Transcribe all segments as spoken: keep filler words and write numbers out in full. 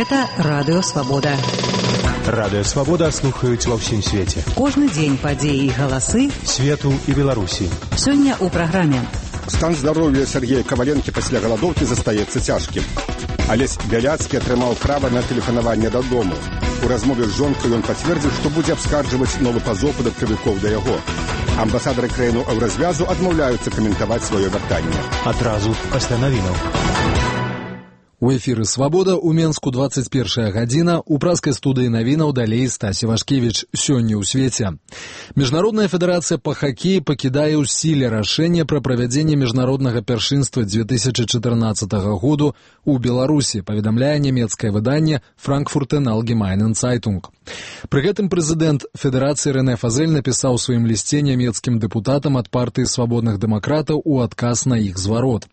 Гэта Радыё Свабода. Радыё Свабода слухаюць ва ўсім свеце. Кожны дзень падзеі і галасы свету і Беларусі. Сёння ў праграме. Стан здароўя Сергея Каваленкі пасля галадоўкі застаецца цяжкім. Алесь Бяляцкі атрымаў права на тэлефанаванне дадому. У размове з жонкай ён пацвердзіў, што будзе абскарджваць новы пазоў падаткавікоў да яго. Амбасадары краіну еўразвязу адмаўляюцца каментаваць сваё вяртанне. Адразу пасля навінаў. У эфіры «Свабода» у Менску двадцать першая гадзіна, у праскай студыі навінаў далей Стасі Вашкевіч. Сёння ў свеце. Міжнародная федэрацыя па хакеі пакідае ў сіле рашэнне пра правядзенне міжнароднага першынства две тысячи чатырнаццатага году ў Беларусі, паведамляе нямецкае выданне «Франкфуртен Allgemeinen Zeitung». Пры гэтым прэзідэнт федэрацыі Рэне Фазель напісаў у сваім лісце нямецкім дэпутатам ад партыі свабодных дэмакратаў у адказ на іх зварот.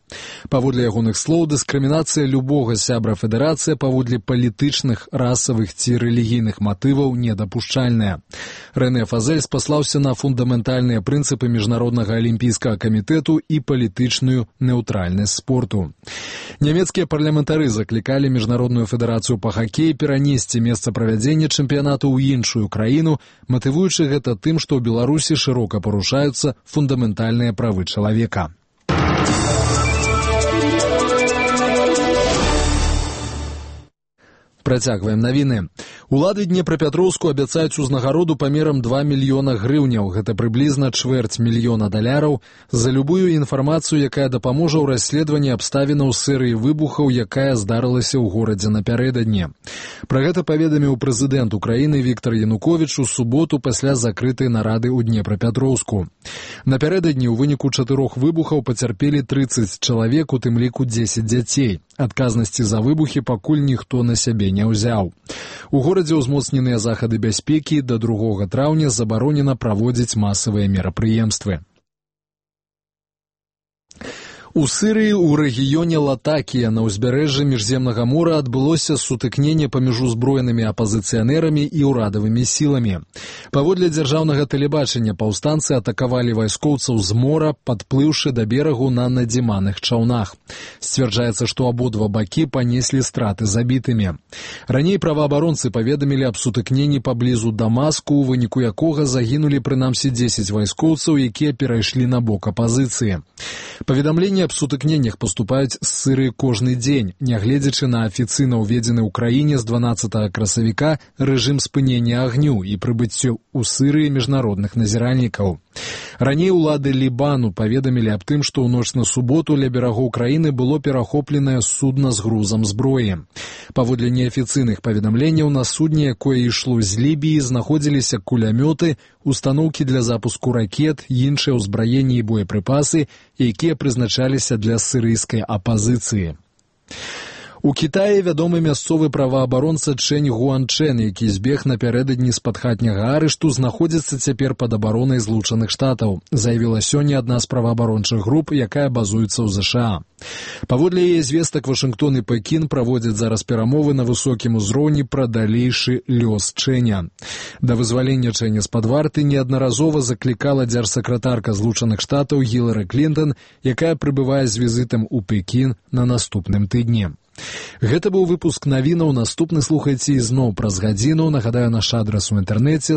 Паводле ягоных слоў, дыскрымінацыя любога сябра федэрацыі паводле палітычных, расавых ці рэлігійных матываў недапушчальная. Рэне Фазель спаслаўся на фундаментальныя прынцыпы міжнароднага алімпійскага камітэту і палітычную неўтральнасць спорту. Нямецкія парламентары заклікалі міжнародную федэрацыю па хакеі перанесці месца правядзення чэмпіянату ў іншую краіну, матывуючы гэта тым, што ў Беларусі шырока парушаюцца фундаментальныя правы чалавека. Працягваем навіны. Улады Днепрапетроўску абяцаюць узнагароду памерам два мільёна грыўняў, гэта прыблізна чвэрць мільёна даляраў, за любую інфармацыю, якая дапаможа ў расследаванні абставінаў серыі выбухаў, якая здарылася ў горадзе напярэдадні. Пра гэта паведаміў прэзідэнт Украіны Віктор Януковіч у суботу пасля закрытай нарады ў Днепрапетроўску. Напярэдадні ў выніку чатырох выбухаў пацярпелі трыццаць чалавек, у тым ліку дзесяць дзяцей. Адказнасці за выбухі пакуль ніхто на сябе не ўзяў. У горадзе ўзмоцненыя захады бяспекі, да другога траўня забаронена праводзіць масавыя мерапрыемствы. У Сырыі ў рэгіёне Латакія на ўзбярэжжы Міжземнага мора адбылося сутыкненне паміж узброенымі апазіцыянерамі і ўрадавымі сіламі. Паводле дзяржаўнага тэлебачання паўстанцы атакавалі вайскоўцаў з мора, падплыўшы да берагу на надзіманых чаўнах. Сцвярджаецца, што абодва бакі панеслі страты забітымі. Раней праваабаронцы паведамілі аб сутыкненні паблізу Дамаску, у выніку якога загінулі прынамсі дзесяць вайскоўцаў, якія перайшлі на бок апазіцыі. Паведамленні аб сутыкненнях паступаюць з Сырыі кожны дзень, нягледзячы на афіцыйна ўведзены ў краіне з дванаццатага красавіка рэжым спынення агню і прыбыццё ў Сырыі міжнародных назіральнікаў. Раней улады Лібану паведамілі аб тым, што ў ноч на суботу ля берагоў краіны было перахопленае судна з грузам зброі. Паводле неафіцыйных паведамленняў, на судне, якое ішло з Лібіі, знаходзіліся кулямёты, устаноўкі для запуску ракет, іншыя ўзбраенні і боепрыпасы, якія прызначаліся для сырыйскай апазіцыі. У Кітаі вядомы мясцовы праваабаронца Чэнь Гуанчэн, які збег напярэдадні з-пад хатняга арышту, знаходзіцца цяпер пад абаронай Злучаных Штатаў, заявіла сёння адна з праваабарончых груп, якая базуецца ў ЗША. Паводле яе звестак, Вашынгтон і Пекін праводзяць зараз перамовы на высокім узроўні пра далейшы лёс Чэня. Да вызвалення Чэня з-пад варты неаднаразова заклікала дзяржсакратарка Злучаных Штатаў Гілары Клінтон, якая прыбывае з візітам у Пекін на наступным тыдні. Гэта быў выпуск навінаў, наступны слухайце ізноў праз гадзіну. Нагадаю, наш адрас у інтэрнэце